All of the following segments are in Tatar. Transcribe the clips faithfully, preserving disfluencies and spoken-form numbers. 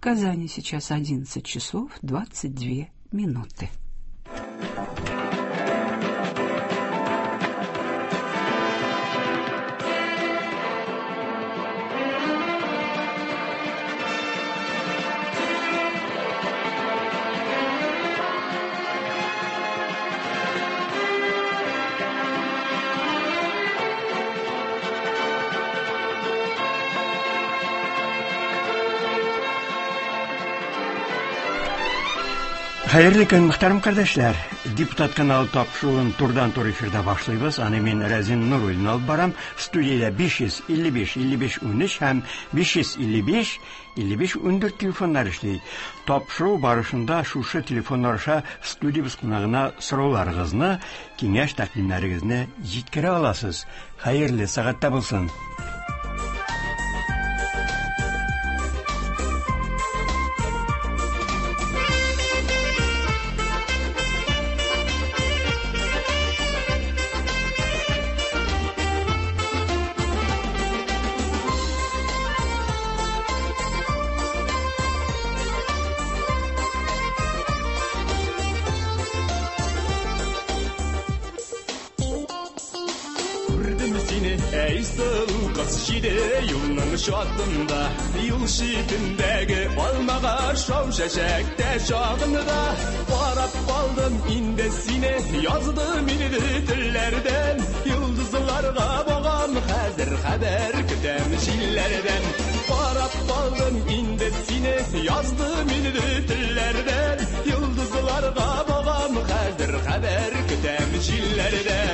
Казани сейчас одиннадцать часов двадцать две минуты. Хәерле көн, мөхтәрәм кардәшләр. Депутат каналы тапшыруын турдан-тур эфирда башлыйбыз. Аны мин Рәзин Нуруллин алып барам. Студиядә биш йөз илле биш, илле биш, унөч һәм биш йөз илле биш, илле биш, ундүрт телефоннар эшли. Тапшыру барышында шушы телефоннар аша студиябез кунагына сорауларыгызны, киңәш тәкъдимнәрегезне җиткерә аласыз. Хәерле сәгатьтә булсын. Шатында, юл читендәге алмага шау чәчәктә чагында карап калдым инде сине, яздым инде телләрдән, йолдызларга багам, хәзер хәбәр көтәм җилләрдән. Карап калдым инде сине, яздым инде телләрдән, йолдызларга багам, хәзер хәбәр көтәм җилләрдән.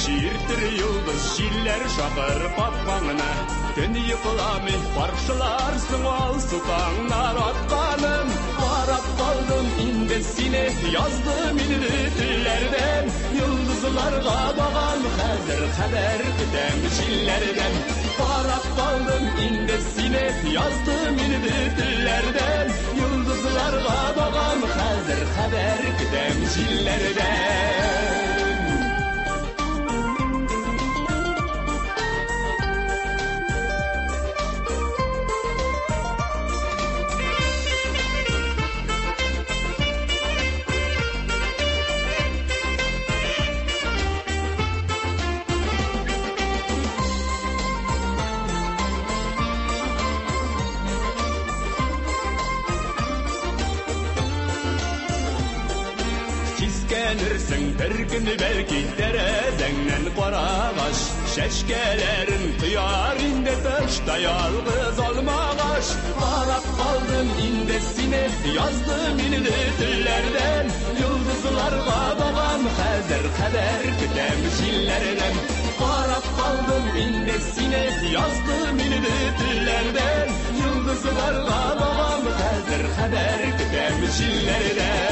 Чиртер йолдыз җилләр шакыр капкаңына, төн йокламый каршыларсың алсу таңнар атканын. Карап калдым инде сине, яздым инде телләрдән, йолдызларга багам, хәзер хәбәр көтәм җилләрдән. Карап калдым инде сине, яздым инде телләрдән, йолдызларга багам, хәзер хәбәр көтәм җилләрдән. Бер көн бәлки тәрәзәңнән карагач, чәчкәләрен кояр инде тышта ялгыз алмагач. Карап калдым инде сине, яздым инде телләрдән, йолдызларга багам, хәзер хәбәр көтәм җилләрдән. Карап калдым инде сине, яздым инде телләрдән, йолдызларга багам, хәзер хәбәр көтәм җилләрдән.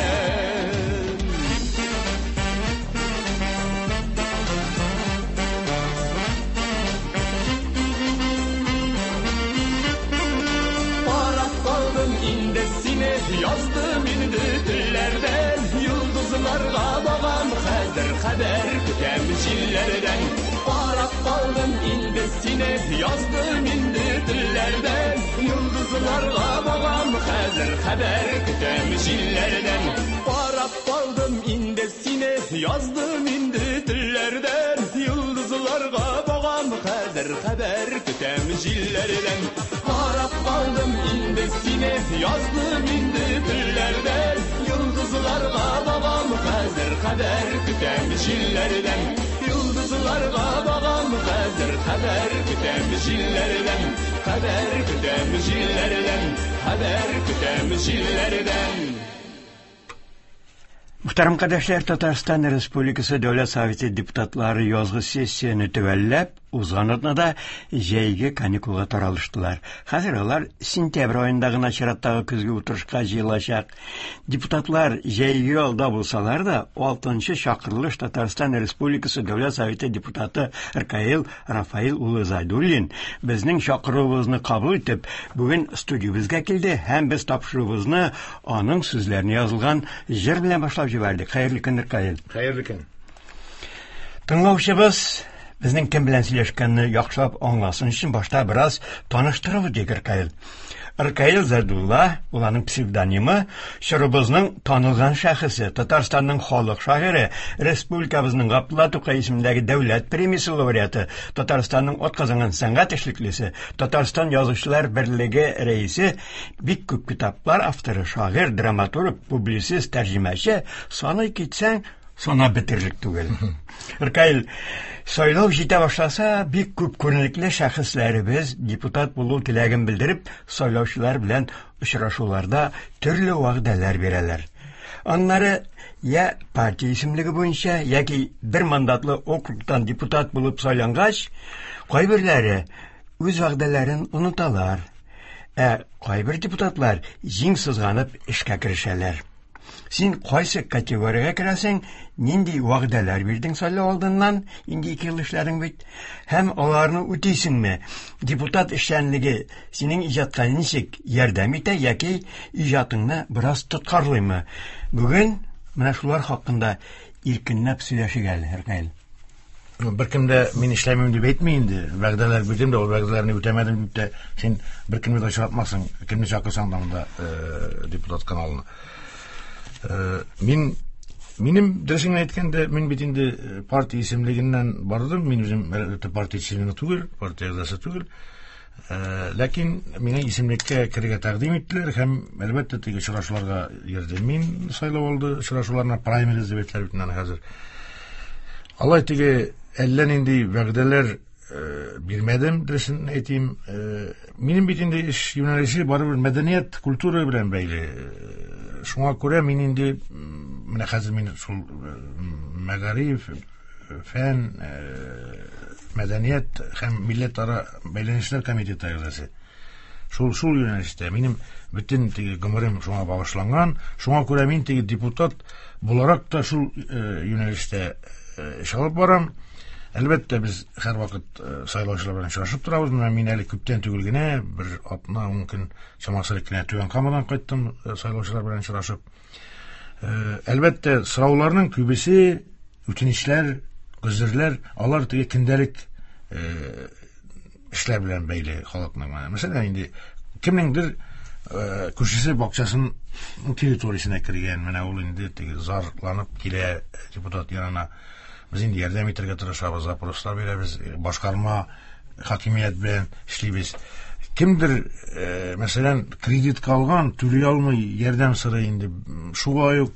Yazdım indi tellerden, yıldızlarga bağam, хәзер хәбәр көтәм җилләрдән. Карап калдым инде сине, яздым инде телләрдән, йолдызларга багам, хәзер хәбәр көтәм җилләрдән. Карап калдым инде сине, яздым инде телләрдән, йолдызларга багам, хәзер хәбәр көтәм җилләрдән. Карап калдым инде сине, яздым инде телләрдән, йолдызларга багам, хәзер хәбәр көтәм җилләрдән. Йолдызларга багам, хәзер хәбәр көтәм җилләрдән. Хәбәр көтәм җилләрдән, хәбәр көтәм җилләрдән. Мөхтәрәм кардәшләр, Татарстан Республикасы Дәүләт Советы депутатлары язгы сессияне төгәлләп, узган атнада җәйге каникулга таралыштылар. Хәзер алар сентябрь аенда гына чираттагы көзге утырышка җыелачак. Депутатлар җәйге ялда булсалар да, алтынчы чакырылыш Татарстан Республикасы Дәүләт Советы депутаты Ркаил Рафаил улы Зайдуллин безнең чакыруыбызны кабул итеп, бүген студиябезгә килде һәм без тапшыруыбызны аның сүзләренә язылган җыр белән башлап җибәрдек. Хәерле көн, Ркаил. Хәерле көн. Тыңлаучыбыз безнең кем белән сөйләшкәнне яхшылап аңласын өчен башта бераз таныштырып үтик Ркаил. Ркаил Зайдулла, ул аның псевдонимы, чорыбызның танылган шәхесе, Татарстанның халык шагыйре, республикабызның Габдулла Тукай исемендәге дәүләт премиясе лауреаты, Татарстанның атказанган сәнгать эшлеклесе, Татарстан Язучылар берлеге рәисе, бик күп китаплар авторы, шагыйрь, драматург, публицист, тәрҗемәче, саный китсәң, санап бетерерлек түгел. Ркаил, сайлау җитә башласа, бик күп күренекле шәхесләребез депутат булу теләген белдереп, сайлаучылар белән очрашуларда төрле вәгъдәләр бирәләр. Аннары я партия исемлеге буенча, яки бер мандатлы округтан депутат булып сайлангач, кайберләре үз вәгъдәләрен оныталар. Ә кайбер депутатлар җиң сызганып эшкә керешәләр. Син кайсы категориягә керәсең, нинди вәгъдәләр бирдең сайлау алдыннан, инде ике ел эшләдең бит, һәм аларны үтисеңме? Депутат эшчәнлеге синең иҗатка ничек ярдәм итә яки иҗатыңны бераз тоткарлыймы? Бүген менә шулар хакында иркенләп сөйләшик әле, Ркаил. Беркем дә мин эшләмим дип әйтми инде. Вәгъдәләр бирдем дә, ул вәгъдәләрне үтәмәдем дип тә син беркемне дә очратмассың, кемне чакырсаң да монда депутат каналына. Мин минем дөресен әйткәндә, мин бит инде партия исемлегеннән бардым, мин үзем әлбәттә партия члены түгел, партия әгъзасы түгел. Ләкин мине исемлеккә керергә тәкъдим иттеләр һәм әлбәттә теге очрашуларга йөрдем. Мин сайлау алды очрашуларына, праймериз дип әйтәләр бит инде хәзер. Алай теге әллә нинди вәгъдәләр бирмәдем, дөресен әйтим. Минем бит инде эш юнәлеше барыбер мәдәният, культура белән бәйле. Шуңа күрә мин инде менә хәзер мин шул мәгариф, фән, мәдәният һәм милләтара бәйләнешләр комитеты әгъзасы. Шул шул юнәлештә минем бөтен теге гомерем шуңа багышланган. Шуңа күрә мин теге депутат буларак та шул юнәлештә эш алып барам. Әлбәттә, без һәрвакыт сайлаучылар белән очрашып торабыз. Менә мин әле күптән түгел генә, бер атна, ун көн чамасы элек кенә Түбән Камадан кайттым сайлаучылар белән очрашып. Әлбәттә, сорауларның күбесе үтенечләр, гозерләр, алар теге көндәлек эшләр белән бәйле халыкның. Мәсәлән, инде кемнеңдер күршесе бакчасының территориясенә кергән, менә ул инде теге зарланып килә депутат янына. Без инде ярдәм итәргә тырышабыз, запрослар бирәбез, башкарма хакимият белән эшлибез. Кемдер, мәсәлән, кредитка алган, түли алмый, ярдәм сорый инде. Шулай ук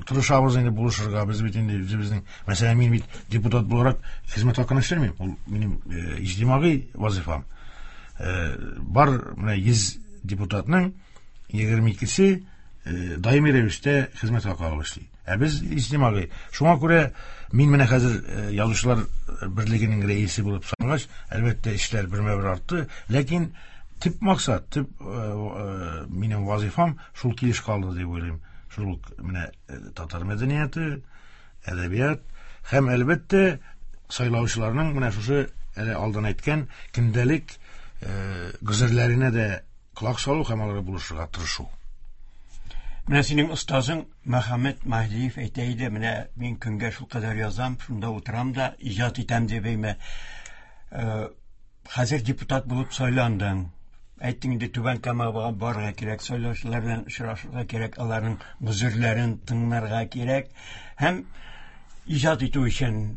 тырышабыз инде булышырга. Без бит инде үзебезнең, мәсәлән, мин бит депутат буларак хезмәт хакына эшләмим. Ул минем иҗтимагый вазифам. Бар менә йөз депутатның егерме икесе даими рәвештә хезмәт хакы алып эшли. Ә без иҗтимагый. Шуңа күрә мин менә хәзер Язучылар берлегенең рәисе булып сангач, әлбәттә, эшләр бермә-бер артты, ләкин төп максат, төп минем вазифам шул килеш калды дип уйлыйм. Шул ук менә татар мәдәнияте, әдәбият һәм әлбәттә сайлаучыларның менә шушы әле алдан әйткән көндәлек гозерләренә дә колак салу һәм аларга булышырга тырышу. Менә синең остазың Мөхәммәт Маһдиев әйтә иде, менә мин көнгә шул кадәр язам, шунда утырам да иҗат итәм дип әйме. Хәзер депутат булып сайландың. Әйттең инде Түбән Камага барырга кирәк, сайлаучылар белән очрашырга кирәк, аларның гозерләрен тыңларга кирәк һәм иҗат итү өчен.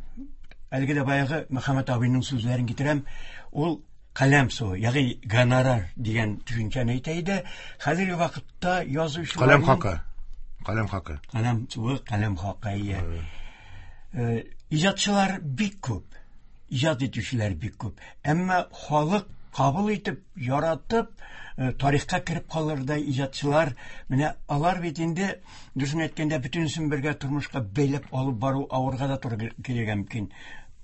Әлеге дә баягы Мөхәммәт абыйның сүзләрен китерәм. Ул каләм суы, ягъни гонорар дигән төшенчәне әйтә иде. Хәзерге вакытта язучылар каләм хакы, каләм хакы. Каләм суы, каләм хакы, ия. Иҗатчылар бик күп, иҗат итүчеләр бик күп. Әмма халык кабул итеп, яратып, тарихка кереп калырдай иҗатчылар, менә алар бит инде, дөресен әйткәндә, бөтенесен бергә тормышка бәйләп алып бару авырга да туры килергә мөмкин.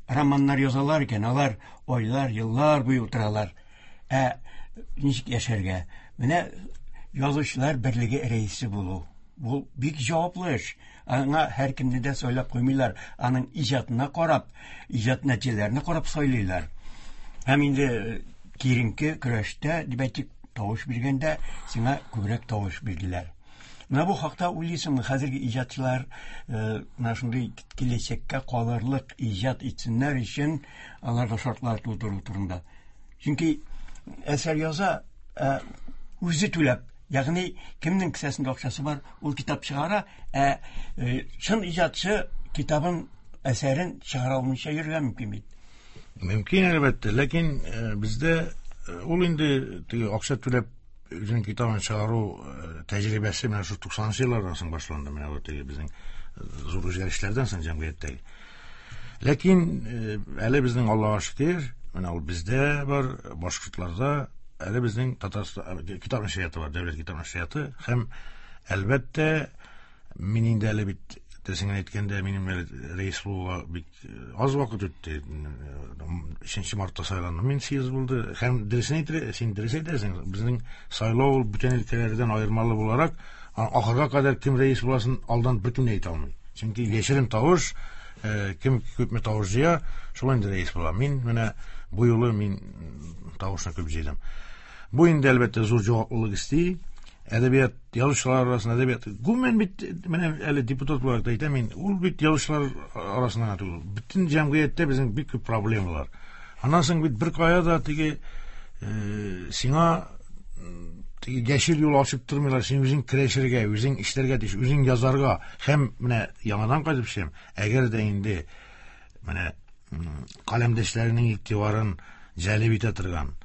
романнар язалар икән, алар айлар, еллар буе утыралар. Ә ничек яшәргә? Менә язучылар берлеге рәисе булу. Бу бик җаваплы эш. Аңа һәркемне дә сайлап куймыйлар. Аның иҗатына карап, иҗат нәтиҗәләренә карап сайлыйлар. Һәм инде киеренке көрәштә, дип әйтик, тавыш биргәндә сиңа күбрәк тавыш бирделәр. Менә бу хакта уйлыйсыңмы, хәзерге иҗатчылар менә шундый киләчәккә калырлык иҗат итсеннәр өчен аларга шартлар тудыру турында? Чөнки әсәр яза, үзе түләп, ягъни кемнең кесәсендә акчасы бар, ул китап чыгара, ә чын иҗатчы китабын, әсәрен чыгара алмыйча йөрергә мөмкин бит. Мөмкин, әлбәттә, ләкин бездә ул инде теге акча түләп үзенең китабын чыгару тәҗрибәсе менә шу туксанынчы еллардан соң башланды, менә бу теге безнең зур үзгәрешләрдән соң җәмгыятьтәге. Ләкин әле безнең Аллага шөкер, менә ул бездә бар, башкортларда әле безнең Татарстан китап нәшрияты бар, дәүләт китап нәшрияты, һәм әлбәттә мин инде әле бит дөресен генә әйткәндә, минем әле рәис булуга бик аз вакыт үтте. Өченче мартта сайландым мин, съезд булды. Һәм дөресен әйтер, син дөрес әйтәсең, безнең сайлау ул бүтән өлкәләрдән аермалы буларак, ахырга кадәр кем рәис буласын алдан беркем дә әйтә алмый. Чөнки яшерен тавыш, кем күпме тавыш җыя, шул инде рәис була. Мин менә бу юлы мин тавышны күп җыйдым. Бу инде әлбәттә зур җаваплылык исти. Әдәбият язучылар арасында әдәбият гомумән бит менә әле депутат буларак та әйтәм мин, ул бит язучылар арасында гына түгел, бөтен җәмгыятьтә безнең бик күп проблемалар. Аннан соң бит бер кая да теге сиңа теге яшел юл ачып тормыйлар, син үзең көрәшергә, үзең эшләргә тиеш, үзең язарга. Һәм менә яңадан кайтып төшәм, әгәр дә инде менә каләмдәшләренең игътибарын җәлеп итә торган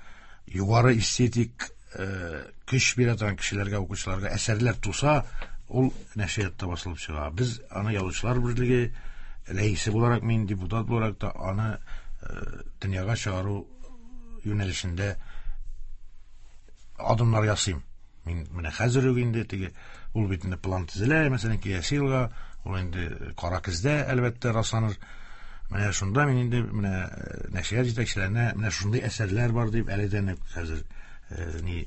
югары эстетик көч бирә торган кешеләргә, укучыларга әсәрләр туса, ул нәшриятта басылып чыга. Без аны язучылар берлеге рәисе буларак, мин депутат буларак та аны дөньяга чыгару юнәлешендә адымнар ясыйм. Мин менә хәзер үк инде теге ул бит инде план төзелә, мәсәлән, киләсе елга ул инде кара көздә әлбәттә расланыр. Менә шунда мин инде менә нәшрият җитәкчеләренә менә шундый әсәрләр бар дип әледән үк хәзер ни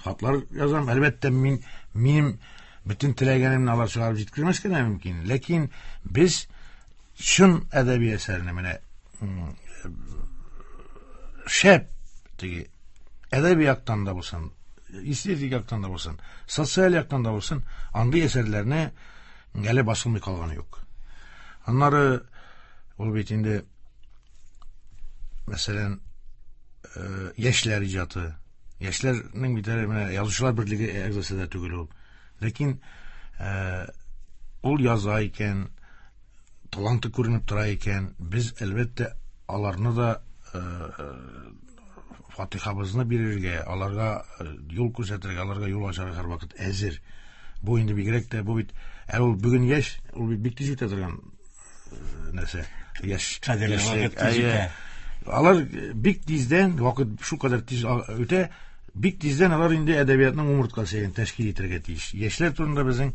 хатлар язам. Әлбәттә, мин минем бөтен теләгәнемне алар чыгарып җиткермәскә дә мөмкин. Ләкин без чын әдәби әсәрне менә шәп теге әдәби яктан да булсын, эстетик яктан да булсын, социаль яктан да булсын, андый әсәрләрне әле басылмый калганы юк. Аннары ул бит инде мәсәлән яшьләр иҗаты. Яшьләрнең бит әле менә язучылар берлеге әгъзасы да түгел ул. Ләкин ул яза икән, таланты күренеп тора икән, без әлбәттә аларны да фатихабызны бирергә, аларга юл күрсәтергә, аларга юл ачарга һәрвакыт әзер. Бу инде бигрәк тә, бу бит ә ул бүген яшь, ул бит бик тиз үтә торган нәрсә. Яшь кадерле вакыт тиз үтә. Алар бик тиздән, вакыт шу кадәр тиз үтә, бик тиздән алар инде әдәбиятның умырткасы тәшкил итәргә тиеш. Яшьләр турында безнең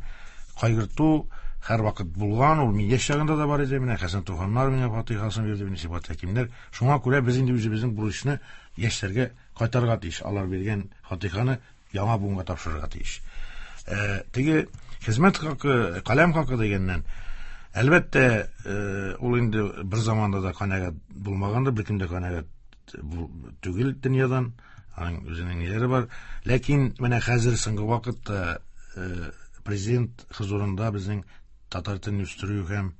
кайгырту һәрвакыт булган, ул мин яшь чагында да бар иде, менә Хәсән Туфаннар миңа фатихасын бирде, менә Сибгат Хәкимнәр. Шуңа күрә без инде үзебезнең бурычны яшьләргә кайтарырга тиеш. Алар биргән фатиханы яңа буынга тапшырырга тиеш. Э, теге хезмәт хакы, каләм хакы дигәннән, әлбәттә, ул инде бер заманда да канәгать булмагандыр, беркем дә канәгать түгел дөньядан, аның үзенең ниләре бар. Ләкин менә хәзер соңгы вакытта президент хозурында безнең татар телен үстерү һәм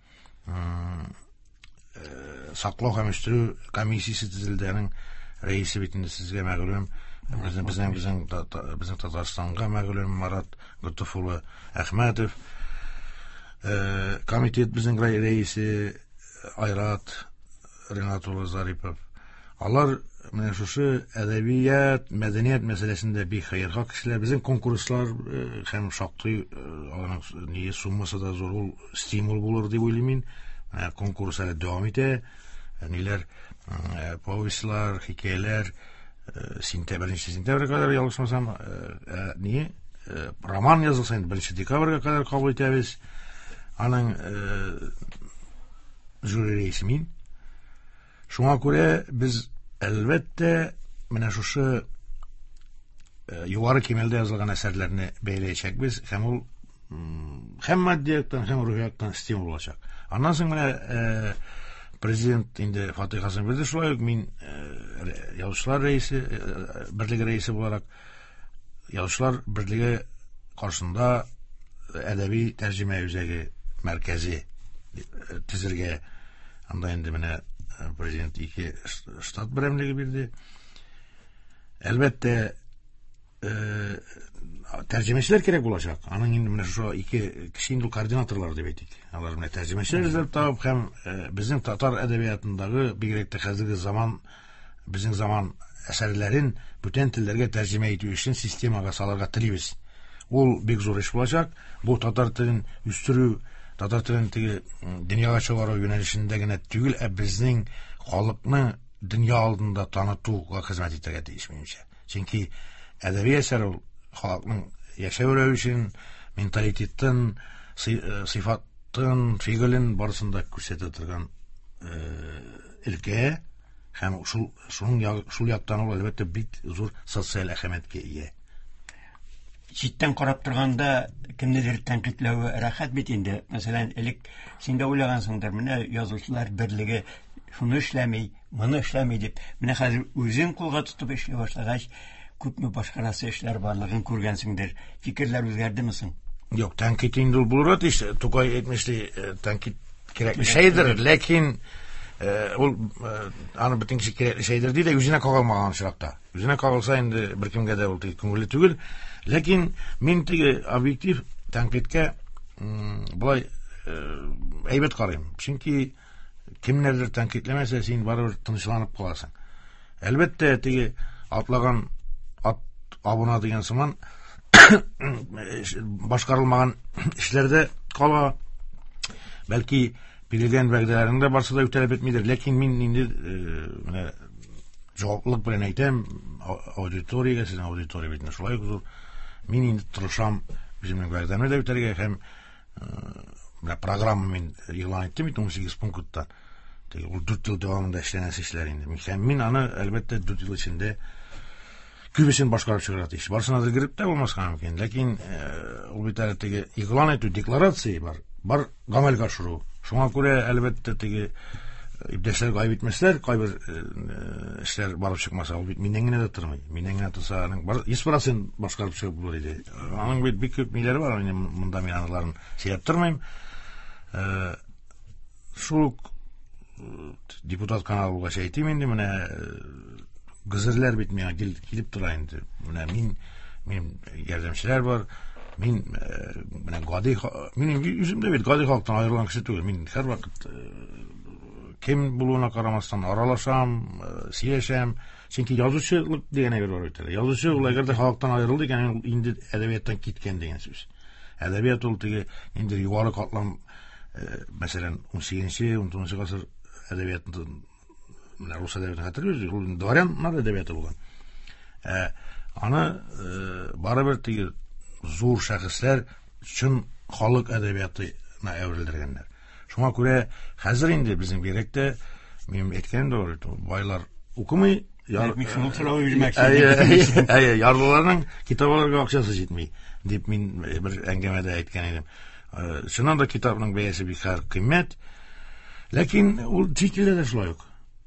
саклау һәм үстерү комиссиясе төзелде. Аның рәисе бит инде сезгә мәгълүм, безнең безнең безнең безнең Татарстанга мәгълүм Марат Готыф улы Әхмәтов. Комитет безнең рәисе Айрат Ренат улы Зарипов. Алар менә шушы әдәбият, мәдәният мәсьәләсендә бик хәерхак кешеләр. Безнең конкурслар һәм шактый аларның ни суммасы да зур, ул стимул булыр дип уйлыйм мин. Менә конкурс әле дәвам итә. Ниләр, повестьлар, хикәяләр сентябрь, беренче сентябрьгә кадәр ялгышмасам, ни роман язылса инде беренче декабрьгә кадәр кабул итәбез. Аның жюри рәисе мин. Шуңа күрә без әлбәттә менә шушы югары кимәлдә язылган әсәрләрне бәяләячәкбез һәм ул һәм матди яктан, һәм рухи яктан стимул булачак. Аннан соң менә президент инде фатихасын бирде, шулай ук мин язучылар рәисе, берлеге рәисе буларак язучылар берлеге каршында әдәби тәрҗемә үзәге мәркәзе төзергә, анда инде менә президент ике штат берәмлеге бирде. Әлбәттә, тәрҗемәчеләр кирәк булачак. Аның инде менә шушы ике кеше инде координаторлар дип әйтик. Алар менә тәрҗемәчеләр эзләп табып һәм безнең татар әдәбиятындагы бигрәк тә хәзерге заман, безнең заман әсәрләрен бүтән телләргә тәрҗемә итү өчен системага салырга телибез. Ул бик зур эш булачак. Бу татар телен үстерү, татар телен теге дөньяга чыгару юнәлешендә генә түгел, ә безнең халыкны дөнья алдында танытуга хезмәт итәргә тиеш минемчә. Чөнки әдәби әсәр ул халыкның яшәү рәвешен, менталитетын, сыйфатын, фигылен барысын да күрсәтә торган өлкә һәм шул шуның шул яктан ул әлбәттә бик зур социаль әһәмияткә ия. Читтән карап торганда кемнедер тәнкыйтьләве рәхәт бит инде. Мәсәлән, элек син дә уйлагансыңдыр, менә язучылар берлеге шуны эшләми, моны эшләми дип. Менә хәзер үзең кулга тотып эшли башлагач, күпме башкарасы эшләр барлыгын күргәнсеңдер. Фикерләр үзгәрдеме соң? Юк, тәнкыйть инде ул булырга тиеш. Тукай әйтмешли, тәнкыйть кирәкле шәйдер, ләкин ул аны бөтен кеше кирәкле шәйдер ди дә үзенә кагылмаган очракта. Үзенә кагылса инде беркемгә дә ул күңелле түгел. Ләкин мин теге объектив тәнкыйтькә болай әйбәт карыйм. Чөнки кемнәрдер тәнкыйтьләмәсә, син барыбер тынычланып каласың. Әлбәттә, теге атлаган ат абына дигән сыман башкарылмаган эшләрдә кала. Бәлки бирелгән вәгъдәләрнең дә барсы да үтәлеп бетмидер. Ләкин мин инде менә җаваплылык белән әйтәм, аудиториягә, сезнең аудитория бит шулай ук зур. Мин инде тырышам үземнең вәгъдәмне дә үтәргә һәм менә программа мин игълан иттем бит унсигез пункттан. Теге ул дүрт ел дәвамында эшләнәсе эшләр инде. Һәм мин аны әлбәттә дүрт ел эчендә күбесен башкарып чыгарга тиеш. Барысына да кереп тә булмаска мөмкин. Ләкин ул бит әле теге игълан итү, декларация бар. Бар гамәлгә ашыру. Шуңа күрә әлбәттә теге иптәшләр гаеп итмәсләр, кайбер эшләр барып чыкмаса, ул бит миннән генә дә тормый. Миннән генә торса, аның бар йөз процент башкарып чыгып булыр иде. Аның бит бик күп ниләре бар, мин монда мин аларын сөйләп тормыйм. Шул ук депутат каналы булгач әйтим инде, менә гызырлар бит миңа килеп тора инде. Менә мин, минем ярдәмчеләр бар. Мин менә гади, мин үзем дә бит гади халыктан аерылган кеше түгел. Мин һәрвакыт кем булуына карамастан аралашам, сөйләшәм. Чөнки язучылык дигән әйбер бар бит әле. Язучы ул әгәр дә халыктан аерылды икән, ул инде әдәбияттан киткән дигән сүз. Әдәбият ул теге инде югары катлам, мәсәлән, унсигезенче, унтугызынчы гасыр әдәбиятын, менә рус әдәбиятын хәтерлибез, ул дворяннар әдәбияты булган. Ә аны барыбер теге зур шәхесләр чын халык әдәбиятына әверелдергәннәр. Шуңа күрә хәзер инде безнең бигрәк тә, минем әйткәнем дә бар, байлар укымый, Мин шуны сорау бирмәкче идем. Әйе, ярлыларның китап алырга акчасы җитми, дип мин бер әңгәмәдә әйткән идем. Чыннан да китапның бәясе бик кыйммәт. Ләкин ул чит илдә дә шулай ук.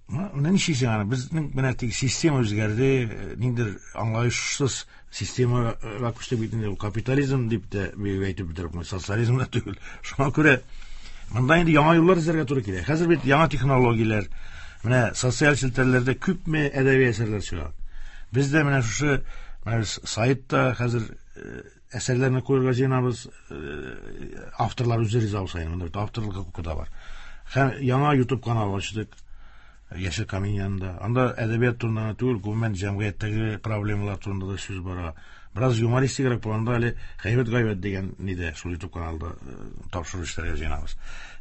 Менә ничек аны безнең менә теге система үзгәрде, ниндидер аңлаешсыз системага күчте бит инде, ул капитализм дип тә әйтеп бетереп, социализм да түгел. Шуңа күрә монда инде яңа юллар эзләргә туры килә. Хәзер бит яңа технологияләр, менә социаль челтәрләрдә күпме әдәби әсәрләр чыга. Без дә менә шушы, менә без сайтта хәзер әсәрләрне куярга җыенабыз, авторлар үзе риза булса, монда бит авторлык хокукы да бар. Һәм яңа YouTube каналы ачтык. Яшел камин янында. Анда әдәбият турында түгел, гомумән җәмгыятьтәге проблемалар турында да сүз бара. Бераз юмористигрәк булганда әле гайбәт-гайбәт дигән нидә шул YouTube каналда тапшыру эшләргә җыенабыз.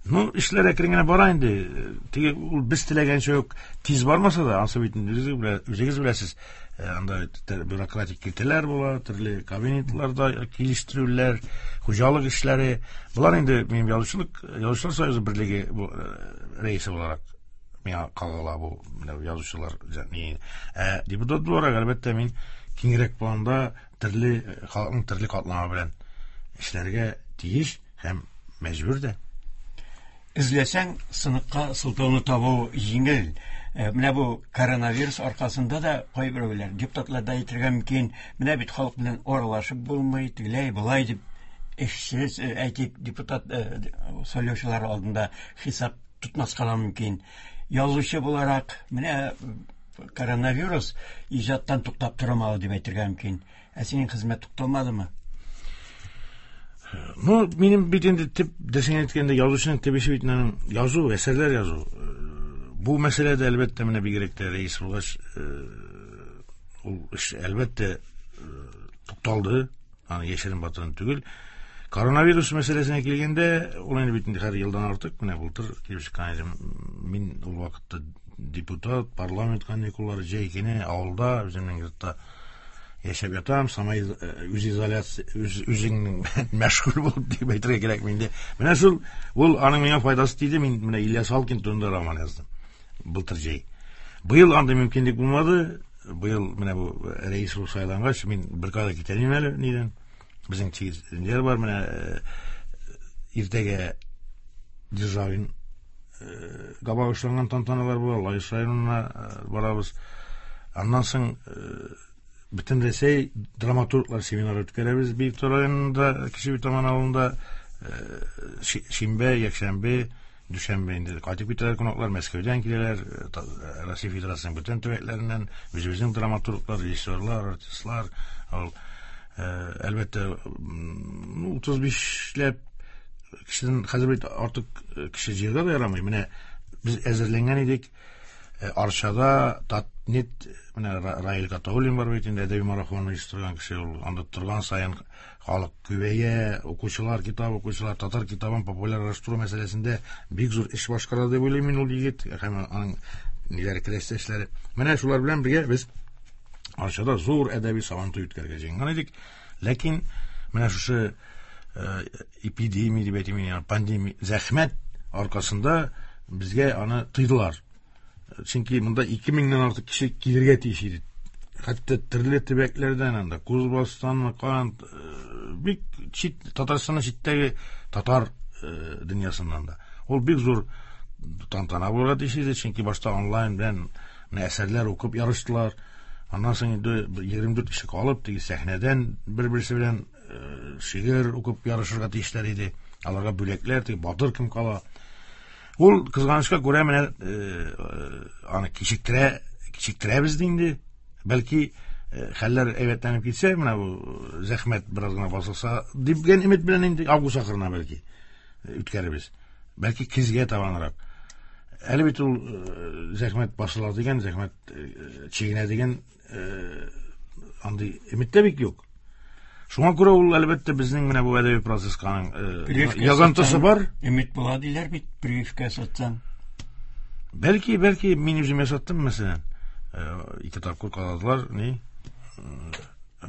Ну, эшләр әкрен генә бара инде. Теге ул без теләгәнчә үк тиз бармаса да, ансы бит үзегез беләсез, анда бюрократик киртәләр була, төрле кабинетларда килештерүләр, хуҗалык эшләре. Болар инде минем язучылык, язучылар союзы берлеге рәисе буларак миңа кагыла бу менә язучылар. Ә депутат буларак, әлбәттә, мин киңрәк планда төрле халыкның төрле катламы белән эшләргә тиеш һәм мәҗбүр дә. Эзләсәң, сыныкка сылтауны табу җиңел. Менә бу коронавирус аркасында да кайберәүләр депутатлар да әйтергә мөмкин, менә бит халык белән аралашып булмый, тегеләй болай дип эшсез, әйтик, депутат сайлаучылар алдында хисап тотмаска да мөмкин. Язучы буларак, менә коронавирус иҗаттан туктап тормады дип әйтергә мөмкин. Ә синең хезмәт тукталмадымы? Ну, минем бит инде төп дөресен әйткәндә язучының төп эше бит аның язу, әсәрләр язу. Бу мәсьәләдә әлбәттә менә бигрәк тә рәис булгач, ул эш әлбәттә тукталды, аны яшерен батырын түгел. Коронавирус мәсьәләсенә килгәндә, ул инде бит инде һәр елдан артык менә былтыр килеп чыккан иде. Мин ул вакытта депутат, парламент каникуллары җәй көне авылда, үземнең йортта яшәп ятам, самай үзизоляция, үз үзеңнең мәшгуль булып дип әйтергә кирәк инде. Менә шул, ул аның миңа файдасы тиде. Мин менә Ильяс Алкин турында роман яздым былтыр җәй. Быел андый мөмкинлек булмады. Быел менә бу рәис булып сайлангач, мин беркая китә алмыйм әле нидән. Безнең чигеннәр бар, менә иртәгә Державин габагышланган тантаналар була, Лаеш районына барабыз. Аннан соң Бөтен Рәсәй драматурглар семинары үткәрәбез Биектау районында, Кече Битаман авылында, шимбә, якшәмбе, дүшәмбе инде кайтып китәләр кунаклар, Мәскәүдән киләләр, Россия Федерациясының бөтен төбәкләреннән, үзебезнең драматурглар, режиссерлар, артистлар, ул әлбәттә утыз бишләп кешедән хәзер бит артык кеше җыярга да ярамый. Менә без әзерләнгән идек. Арчада Татнет, менә Раил Гатауллин бар бит инде, әдәби марафон оештырган кеше, ул анда торган саен халык күбәя, укучылар, китап укучылар, татар китабын популярлаштыру мәсьәләсендә бик зур эш башкара дип уйлыйм мин ул егет һәм аның ниләре, келәштәшләре. Менә шулар белән бергә без Арчада зур әдәби сабантуй үткәрергә җыенган идек. Ләкин менә шушы эпидемия дип әйтим, пандемия, зәхмәт аркасында безгә аны тыйдылар. Чөнки монда ике меңнән артык кеше килергә тиеш иде. Хәтта төрле төбәкләрдән анда, Кузбасстан, Кан, бик чит, Татарстанның читтәге татар дөньясыннан да. Ул бик зур тантана булырга тиеш иде, чөнки башта онлайн белән әсәрләр укып ярыштылар. Аннан соң инде егерме дүрт кеше калып, теге сәхнәдән бер-берсе белән шигырь укып ярышырга тиешләр иде. Аларга бүләкләр, теге батыр кем кала. Ул кызганычка күрә менә аны кичектерә, кичектерәбез ди инде. Бәлки хәлләр әйбәтләнеп китсә, менә бу зәхмәт бераз гына басылса дигән өмет белән инде август ахырына бәлки үткәрербез. Бәлки көзгә табанрак. Әле бит ул зәхмәт басыла дигән, зәхмәт чигенә дигән андый өмет тә бик юк. Шуңа күрә ул әлбәттә безнең менә бу әдәби процесска аның язантысы бар. Өмет була диләр бит, прививка ясатсаң. Бәлки, бәлки мин үзем ясаттым, мәсәлән. Ике тапкыр каладылар, ни?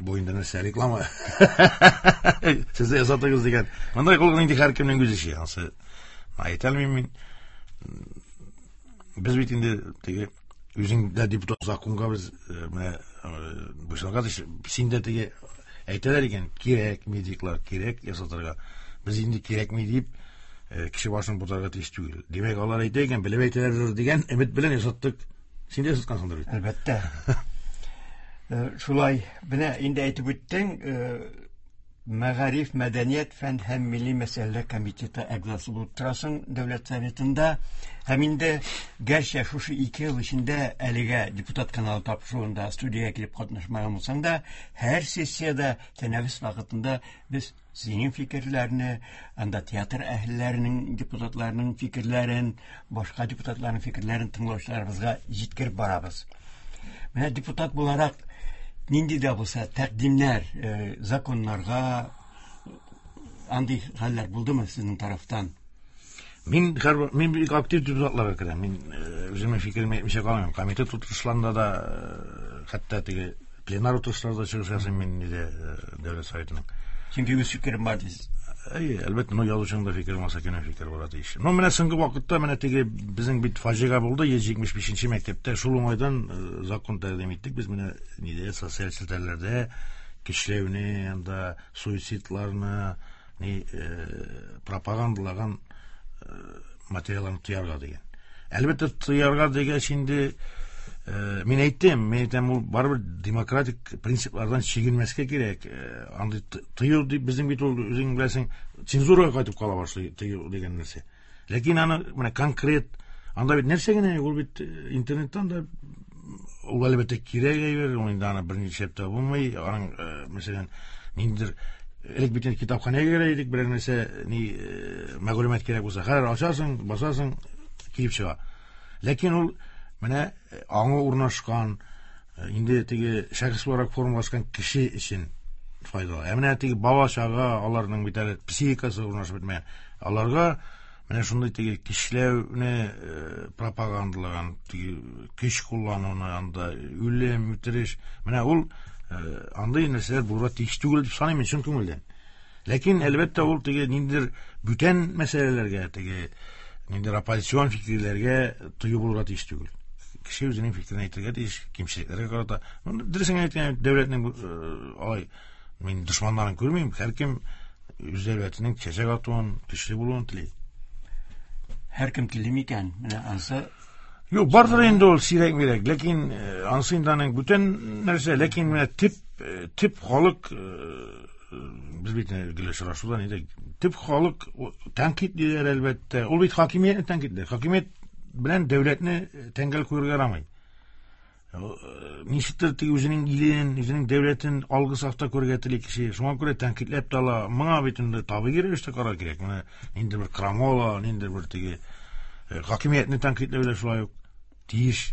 Бу инде нәрсә, реклама. Сез дә ясатыгыз дигән. Мондай кылган инде һәркемнең үз эше. Ансы әйтә алмыйм мин. Без бит инде теге үзең дә депутат законга без менә буйсынырга тиеш. Син дә теге әйтәләр икән, кирәк медиклар, кирәк ясатырга. Без инде кирәкми дип кеше башын бутарга тиеш түгел. Димәк, алар әйтә икән, белеп әйтәләр дигән өмет белән ясаттык. Син дә ясаткансыңдыр бит. Әлбәттә. Шулай, менә инде әйтеп үттең, Мәгариф, мәдәният, фән һәм милли мәсьәләләр комитеты әгъзасы булып торасың Дәүләт Советында. Һәм инде гәрчә шушы ике ел эчендә әлегә депутат каналы тапшыруында студиягә килеп катнашмаган булсаң да, һәр сессиядә тәнәфес вакытында без синең фикерләрне, анда театр әһелләренең, депутатларының фикерләрен, башка депутатларның фикерләрен тыңлаучыларыбызга җиткереп барабыз. Менә депутат буларак нинди дә булса тәкъдимнәр, законнарга андый хәлләр булдымы сезнең тарафтан? Мин мин бик актив депутатларга керәм. Мин үземнең фикеремне әйтмичә калмыйм. Комитет утырышларында да, хәтта теге пленар утырышларда чыгыш ясыйм мин инде Дәүләт Советының. Чөнки үз фикерем бар дисез. Әйе, әлбәттә, но язучының да фикере булмаса, кемнең фикере була тиеш. Но менә соңгы вакытта менә теге безнең бит фаҗига булды, йөз җитмеш бишенче мәктәптә. Шул уңайдан закон тәкъдим иттек. Без менә нидә социаль челтәрләрдә көчләүне, анда суицидларны, ни пропагандалаган материалларны тыярга дигән. Әлбәттә, тыярга дигәч инде мин әйттем, мин әйтәм, ул барыбер демократик принциплардан чигенмәскә кирәк. Андый тыю дип безнең бит ул үзең беләсең, цензурага кайтып кала башлый тыю дигән нәрсә. Ләкин аны менә конкрет анда бит нәрсә генә ул бит интернеттан да ул әлбәттә кирәк әйбер, ул инде аны берничә тә булмый. Аның мәсәлән, ниндидер элек бит китапханәгә керә идек, берәр нәрсә ни мәгълүмат кирәк булса, хәзер ачасың, басасың, килеп чыга. Ләкин ул менә аңы урнашкан, инде теге шәхес буларак формалашкан кеше өчен файдалы. Ә менә теге бала чага, аларның бит әле психикасы урнашып бетмәгән. Аларга менә шундый теге кешеләүне пропагандалаган, теге көч куллануны, анда үлем, үтереш, менә ул андый нәрсәләр булырга тиеш түгел дип саныйм мин чын күңелдән. Ләкин әлбәттә ул теге ниндидер бүтән мәсьәләләргә, теге ниндидер оппозицион фикерләргә тыю булырга тиеш түгел. Кеше үзенең фикерен әйтергә тиеш, кимчелекләргә карата. Дөресен әйткәндә, дәүләтнең алай мин дошманнарын күрмим, һәркем үз дәүләтенең чәчәк атуын, көчле булуын тели. Һәркем тели микән? Менә ансы Юк, бардыр инде ул сирәк-мирәк, ләкин ансы инде аның бүтән нәрсә, ләкин менә тип тип халык без бит гел очрашуда нидә тип халык тәнкыйтьлиләр әлбәттә. Ул бит хакимиятне тәнкыйтьли. Хакимият белән дәүләтне тәңгәл куярга ярамый. Ничектер теге үзенең илен, үзенең дәүләтен алгы сафта күрергә тели кеше. Шуңа күрә тәнкыйтьләп тә ала. Моңа бит инде табигый рәвештә карар кирәк. Менә ниндидер бер крамола, ниндидер бер теге хакимиятне тәнкыйтьләү дә шулай ук тиеш.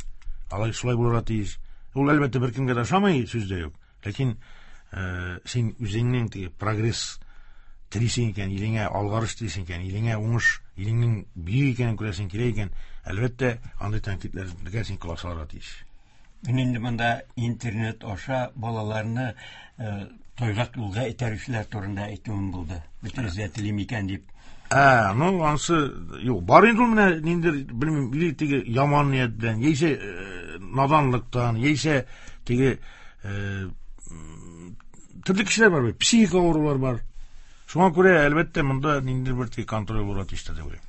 Алай шулай булырга тиеш. Ул әлбәттә беркемгә дә ошамый, сүз дә юк. Ләкин син үзеңнең теге прогресс телисең икән, илеңә алгарыш телисең икән, илеңә уңыш, илеңнең бөек икәнен күрәсең килә икән, әлбәттә, андый тәнкыйтьләргә син колак салырга тиеш. Мин инде монда интернет аша балаларны тайгак юлга этәрүчеләр турында әйтүем булды. Бөтенесе дә телим икән дип. Ә, ну, ансы, юк, бар инде ул менә ниндидер, белмим, или теге яман ният белән, яисә наданлыктан, яисә теге төрле кешеләр бар бит, психик авырулар бар. Шуңа күрә, әлбәттә, монда ниндидер бер теге контроль булырга тиеш дип уйлыйм.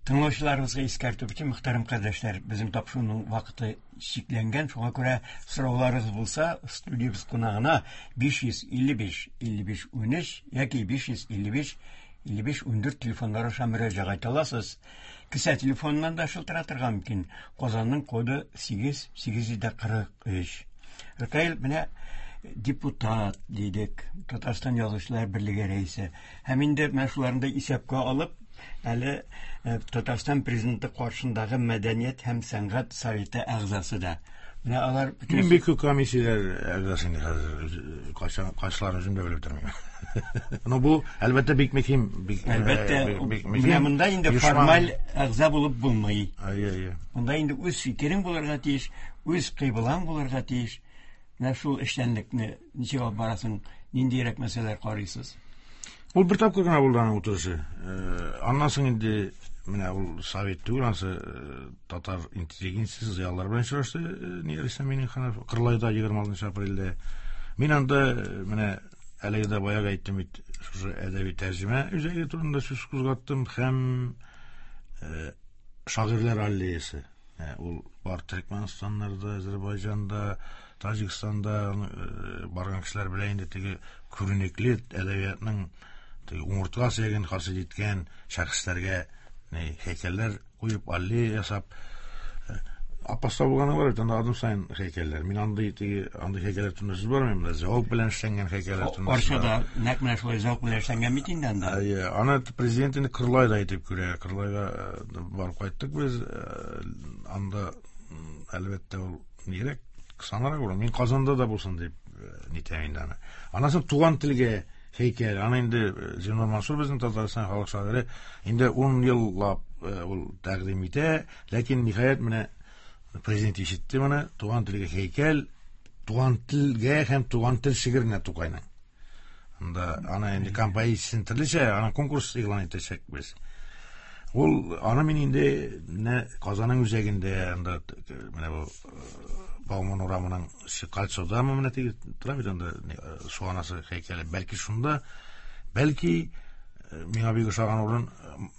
Тыңлаучыларыбызга искәртү өчен, мөхтәрәм кардәшләр, безнең тапшыруның вакыты чикләнгән, шуңа күрә сорауларыгыз булса, студиябез кунагына биш йөз илле биш илле биш унөч яки биш йөз илле биш илле биш ундүрт телефоннары аша мөрәҗәгать итә аласыз. Кесә телефоныннан да шылтыратырга мөмкин. Казанның коды сигез сигез йөз кырык өч. Ркаил, менә депутат дидек, Татарстан Язучылар берлеге рәисе. Һәм инде менә шуларны да исәпкә алып, әле Татарстан президенты каршындагы мәдәният һәм сәнгать советы әгъзасы да. Менә алар бөтен Мин бик күп комиссияләр әгъзасы инде хәзер, кайсы кайсыларын үзем дә белеп тормыйм. Но бу әлбәттә бик мөһим, бик әлбәттә, менә монда инде формаль әгъза булып булмый. Әйе, әйе. Монда инде үз фикерең булырга тиеш, үз кыйблаң булырга тиеш. Менә шул эшчәнлекне ничек алып барасың, ниндирәк мәсьәләләр карыйсыз? Ул бер тапкыр гына булды аның утырышы. Аннан соң инде менә ул совет түгел, ансы татар интеллигенциясе зыялылар белән очрашты, ни Рөстәм Миңнеханов Кырлайда егерме алтынчы апрельдә. Мин анда менә әлеге дә баягы әйттем бит, шушы әдәби тәрҗемә үзәге турында сүз кузгаттым һәм шагыйрьләр аллеясы. Ул бар Төркмәнстаннарда, Азербайҗанда, Таҗикстанда барган кешеләр белә инде теге күренекле әдәбиятның теге умыртка сөяген хасил иткән шәхесләргә һәйкәлләр куеп, аллея ясап, Аппаста булганы бар бит, анда адым саен һәйкәлләр. Мин андый теге андый һәйкәлләр турында сүз бармыйм, менә зәвык белән эшләнгән һәйкәлләр турында. Арчада нәкъ менә шулай зәвык белән эшләнгән бит инде анда. Әйе, аны президент инде Кырлайда әйтеп күрә. Кырлайга барып кайттык без. Анда әлбәттә ул нирәк кысанрак була. Мин Казанда да булсын дип нитәм инде аны. Аннан соң туган телгә һәйкәл. Аны инде Зиннур Мансур безнең Татарстан халык шагыйре инде ун еллап ул тәкъдим итә, ләкин ниһаять менә президент ишетте моны, туган телгә һәйкәл, туган телгә һәм туган тел шигыренә Тукайның. Анда аны инде композициясен төрлечә, аны конкурс игълан итәчәкбез. Ул аны мин инде менә Казанның үзәгендә анда менә бу Бауман урамының кольцодамы менә теге тора бит анда су анасы һәйкәле. Бәлки шунда, бәлки миңа бик ошаган урын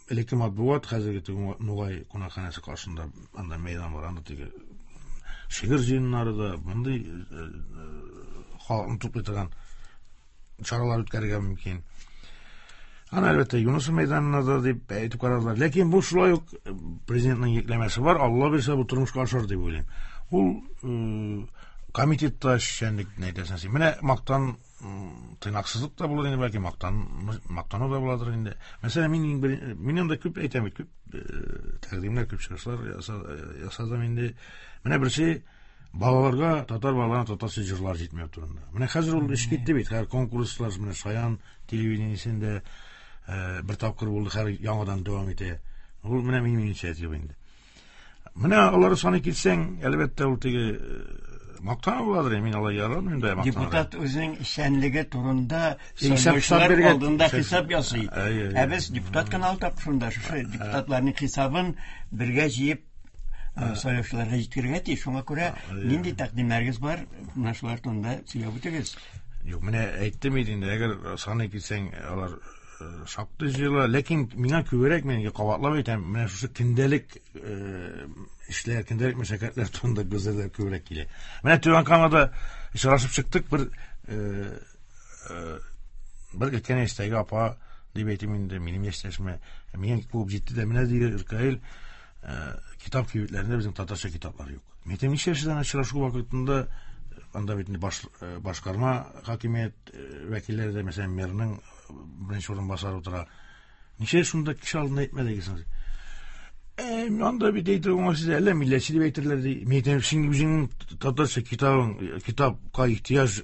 элекке матбугат, хәзерге теге Нугай кунакханәсе каршында анда мәйдан бар, анда теге шигырь җыеннары да, мондый халыкны туплый торган чаралар үткәрергә мөмкин. Аны әлбәттә Юнус мәйданына да дип әйтеп карадылар. Ләкин бу шулай ук президентның йөкләмәсе бар, Алла бирсә бу тормышка ашар дип уйлыйм. Ул комитетта эшчәнлек әйтәсең син. Менә мактан тыйнаксызлык та булыр инде, бәлки мактан мактану да буладыр инде. Мәсәлән, мин мин анда күп әйтәм бит, күп тәкъдимнәр, күп чыгышлар ясадым инде. Менә берсе балаларга, татар балаларына татарча җырлар җитмәү турында. Менә хәзер ул эш китте бит. Хәзер конкурслар, менә Шаян телевидениесендә бер тапкыр булды, хәзер яңадан дәвам итә. Ул менә минем инициатива инде. Менә алары саны китсәң, әлбәттә, ул теге мактану буладыр, мин алай ярамыйм да мактанырга. Депутат үзенең эшчәнлеге турында сайлаучылар алдында хисап ясый. Ә без депутат каналы тапшырында шушы депутатларның хисабын бергә җыеп сайлаучыларга җиткерергә тиеш. Шуңа күрә нинди тәкъдимнәрегез бар, менә шулар турында сөйләп үтегез. Юк, менә әйттем инде, әгәр саны китсәң, алар шактый җыела, ләкин миңа күбрәк, мин кабатлап әйтәм, менә шушы көндәлек эшләр, көндәлек мәшәкатьләр турында гозерләр күбрәк килә. Менә Түбән Камада очрашып чыктык, бер бер өлкән яшьтәге апа дип әйтим инде, минем яшьтәшемә, миңа куып җитте дә, менә ди Ркаил, китап кибетләрендә безнең татарча китаплар юк. Мин әйтәм, ничә яшьтән очрашу вакытында анда бит башкарма хакимият вәкилләре дә, мәсәлән, мэрның беренче урынбасары утыра. Ничә шунда кеше алдында әйтмәдегез? Э, анда бит әйтер уңайсыз, әллә милләтче дип әйтерләр ди. Мин әйтәм, син үзеңнең татарча китабың, китапка ихтыяҗ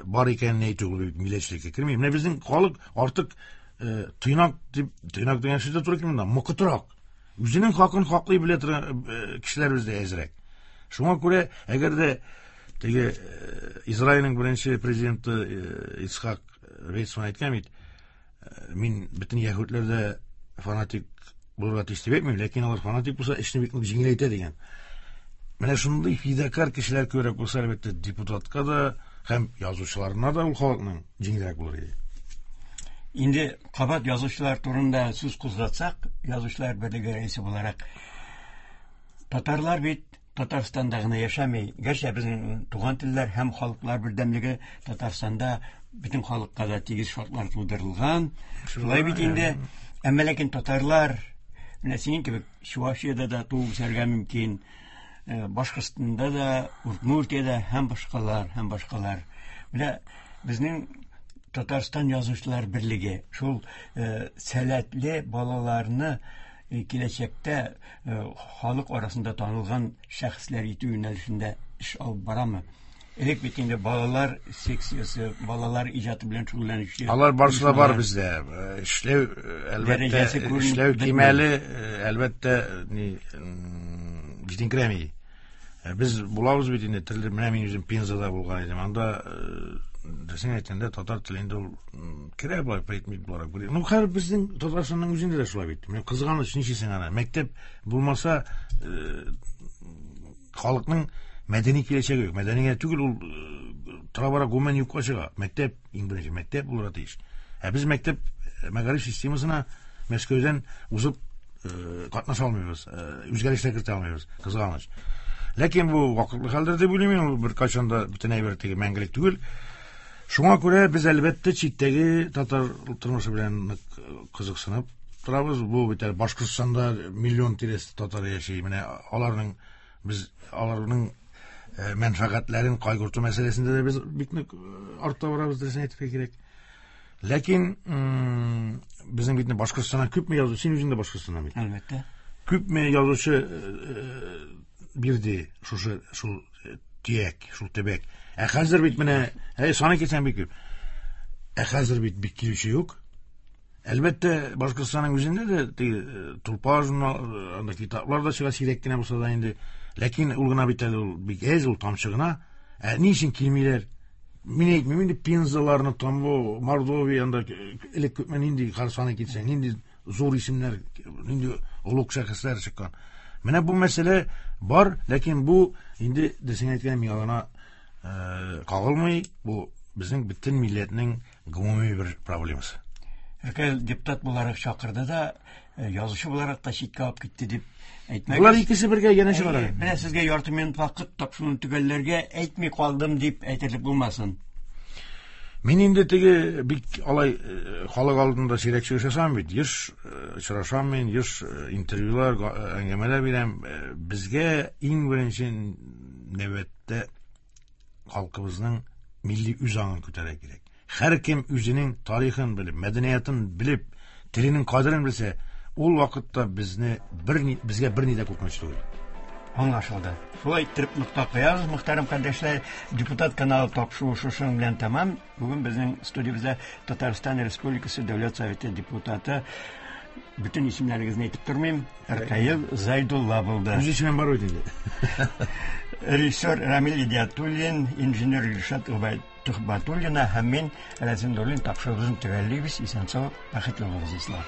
бар икәнен әйтү ул бит милләтчелеккә керми. Менә безнең халык артык тыйнак дип, тыйнак дигән сүз дә туры килми монда, мокытрак. Үзенең хакын хаклый белә торган кешеләр бездә әзрәк. Шуңа күрә, әгәр дә теге Израильнең беренче президенты Ицхак Вейцман әйткән бит, мин бөтен яһүдләрдә фанатик булырга тиеш дип әйтмим, ләкин алар фанатик булса, эшне бик нык җиңеләйтә дигән. Менә шундый фидакар кешеләр күбрәк булса, әлбәттә, депутатка да һәм язучыларына да ул халыкның җиңелрәк булыр иде. Инде кабат язучылар турында сүз кузгатсак, Язучылар берлеге рәисе буларак, татарлар бит Татарстанда гына яшәми. Гәрчә безнең туган телләр һәм халыклар бердәмлеге Татарстанда бөтен халыкка да тигез шартлар тудырылган. Шулай бит инде. Әмма ләкин татарлар менә синең кебек Чувашиядә дә туып үсәргә мөмкин, Башкортстанда да, Удмуртиядә һәм башкалар, һәм башкалар. Менә безнең Татарстан Язучылар берлеге шул сәләтле балаларны киләчәктә халык арасында танылган шәхесләр итү юнәлешендә эш алып барамы? Элек бит инде балалар секциясе, балалар иҗаты белән шөгыльләнүче. Алар барысы да бар бездә. Эшләү, әлбәттә, эшләү кимәле, әлбәттә, ни җитенкерәми. Без булабыз бит инде төрле, менә мин үзем Пензада булган идем. Анда дөресен әйткәндә татар теле инде ул керә болай предмет буларак. Ну, хәзер безнең Татарстанның үзендә дә шулай бит. Менә кызганыч, ничесең ана. Мәктәп булмаса, халыкның мәдәни киләчәге юк. Мәдәни генә түгел, ул тора-бара гомумән юкка чыга. Мәктәп, иң беренче мәктәп булырга тиеш. Ә без мәктәп мәгариф системасына Мәскәүдән узып катнаша алмыйбыз, үзгәрешләр кертә алмыйбыз. Кызганыч. Ләкин бу вакытлы хәлдер дип уйлыйм, ул беркайчан да бөтен әйбер теге мәңгелек түгел. Шуңа күрә без әлбәттә читтәге татар тормышы белән нык кызыксынып торабыз. Бу бит әле Башкортстанда миллион тирәсе татар яши. Менә аларның без аларның мәнфәгатьләрен кайгырту мәсьәләсендә дә без бик нык артта барабыз, дөресен әйтергә кирәк. Ләкин безнең бит Башкортстаннан күпме язучы, син үзең дә Башкортстаннан бит. Әлбәттә. Күпме язучы бирде шушы шул төяк, шул төбәк. Ә хәзер бит менә, әй, саны китсәң бик күп. Ә хәзер бит бик килүче юк. Әлбәттә, Башкортстанның үзендә дә теге Тулпар журнал, анда китаплар да чыга, сирәк кенә булса да инде. Ләкин ул гына бит әле ул бик әз, ул тамчы гына. Ә ни өчен килмиләр? Мин әйтмим инде Пензаларны, Тамбов, Мордовия, анда элек күпме нинди саный китсәң, нинди зур исемнәр, нинди олуг шәхесләр чыккан. Менә бу мәсьәлә бар, ләкин бу инде дөресен әйткәндә миңа гына кагылмый, бу безнең бөтен милләтнең гомуми бер проблемасы. Ркаил депутат буларак чакырды да, язучы буларак та читкә алып китте дип әйтмәгез. Булар икесе бергә янәшә бара. Менә сезгә ярты минут вакыт тапшыруны төгәлләргә әйтми калдым дип әйтерлек булмасын. Мин инде теге бик алай халык алдында сирәк чыгыш ясамыйм бит. Еш очрашам мин, еш интервьюлар, әңгәмәләр бирәм. Безгә иң беренче нәүбәттә халкыбызның милли үз аңын күтәрергә кирәк. Һәр кем үзенең тарихын белеп, мәдәниятын белеп, теленең кадерен белсә, ул вакытта безне бер ни, безгә берни дә куркыныч түгел. Аңлашылды. Шулай иттереп нокта куябыз, мөхтәрәм кардәшләр. Депутат каналы тапшыруы шушының белән тәмам. Бүген безнең студиябездә Татарстан Республикасы Дәүләт Советы депутаты, бөтен исемнәрегезне әйтеп тормыйм, Ркаил Зайдулла булды. Үз исемем бар бит инде. Режиссер Рамил Идиатуллин, инженер Илшат Тухбатуллина һәм мин, Рәзин Нуруллин, тапшыруыбызны төгәллибез. Исән-сау, бәхетле булыгыз, дуслар.